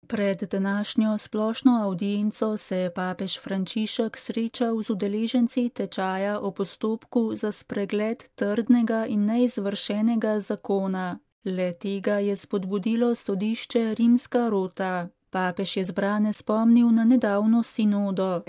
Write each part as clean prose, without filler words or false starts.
Pred današnjo splošno avdienco se je papež Frančišek srečal z udeleženci tečaja o postopku za spregled trdnega in neizvršenega zakona. Le tega je spodbudilo sodišče Rimska rota. Papež je zbrane spomnil na nedavno sinodo.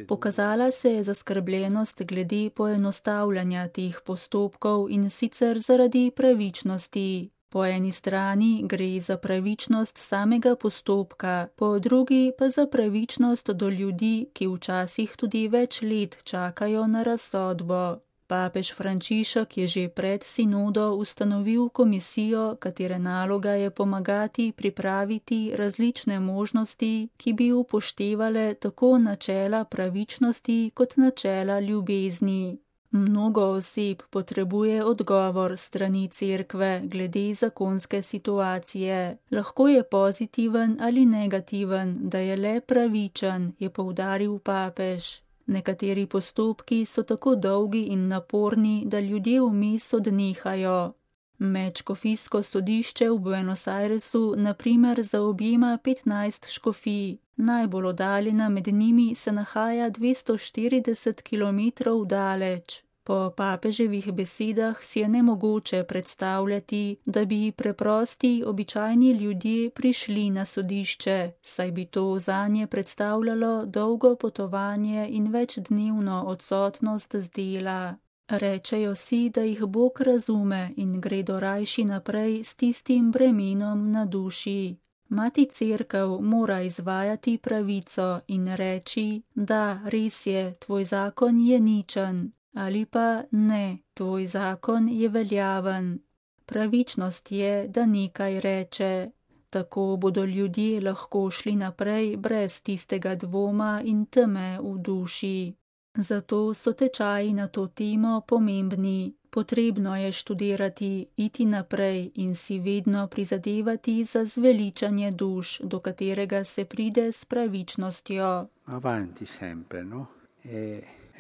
Pokazala se je zaskrbljenost glede poenostavljanja teh postopkov in sicer zaradi pravičnosti. Po eni strani gre za pravičnost samega postopka, po drugi pa za pravičnost do ljudi, ki včasih tudi več let čakajo na razsodbo. Papež Frančišek je že pred sinodo ustanovil komisijo, katere naloga je pomagati pripraviti različne možnosti, ki bi upoštevale tako načela pravičnosti kot načela ljubezni. Mnogo oseb potrebuje odgovor strani cerkve glede zakonske situacije. Lahko je pozitiven ali negativen, da je le pravičen, je poudaril papež. Nekateri postopki so tako dolgi in naporni, da ljudje vmes odnehajo. Medškofijsko sodišče v Buenos Airesu na primer zaobjema 15 škofij. Najbolj oddaljena med njimi se nahaja 240 kilometrov daleč. Po papeževih besedah si je nemogoče predstavljati, da bi preprosti, običajni ljudje prišli na sodišče, saj bi to zanje predstavljalo dolgo potovanje in večdnevno odsotnost z dela. Rečejo si, da jih Bog razume in gredo rajši naprej s tistim bremenom na duši. Mati cerkev mora izvajati pravico in reči, da res je, tvoj zakon je ničen. Ali pa ne, tvoj zakon je veljaven. Pravičnost je, da nekaj reče. Tako bodo ljudje lahko šli naprej brez tistega dvoma in teme v duši. Zato so tečaji na to temo pomembni. Potrebno je študirati, iti naprej in si vedno prizadevati za zveličanje duš, do katerega se pride s pravičnostjo. Avanti sempre, no?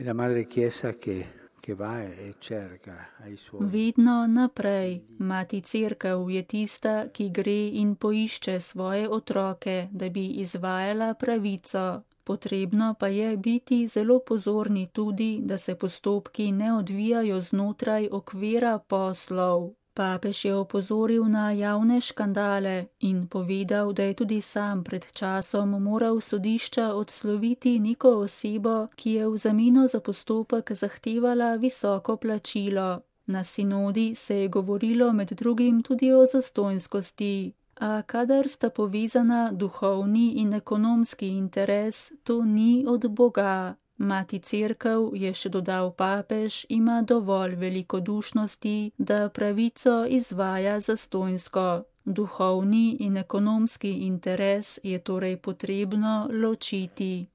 La madre chiesa che va e cerca ai suoi. Vedno naprej. Mati cerkev je tista, ki gre in poišče svoje otroke, da bi izvajala pravico. Potrebno pa je biti zelo pozorni tudi, da se postopki ne odvijajo znotraj okvira poslov. Papež je opozoril na javne škandale in povedal, da je tudi sam pred časom moral sodišča odsloviti neko osebo, ki je v zameno za postopek zahtevala visoko plačilo. Na sinodi se je govorilo med drugim tudi o zastonjskosti, a kadar sta povezana duhovni in ekonomski interes, to ni od Boga. Mati cerkev, je še dodal papež, ima dovolj velikodušnosti, da pravico izvaja zastonjsko. Duhovni in ekonomski interes je torej potrebno ločiti.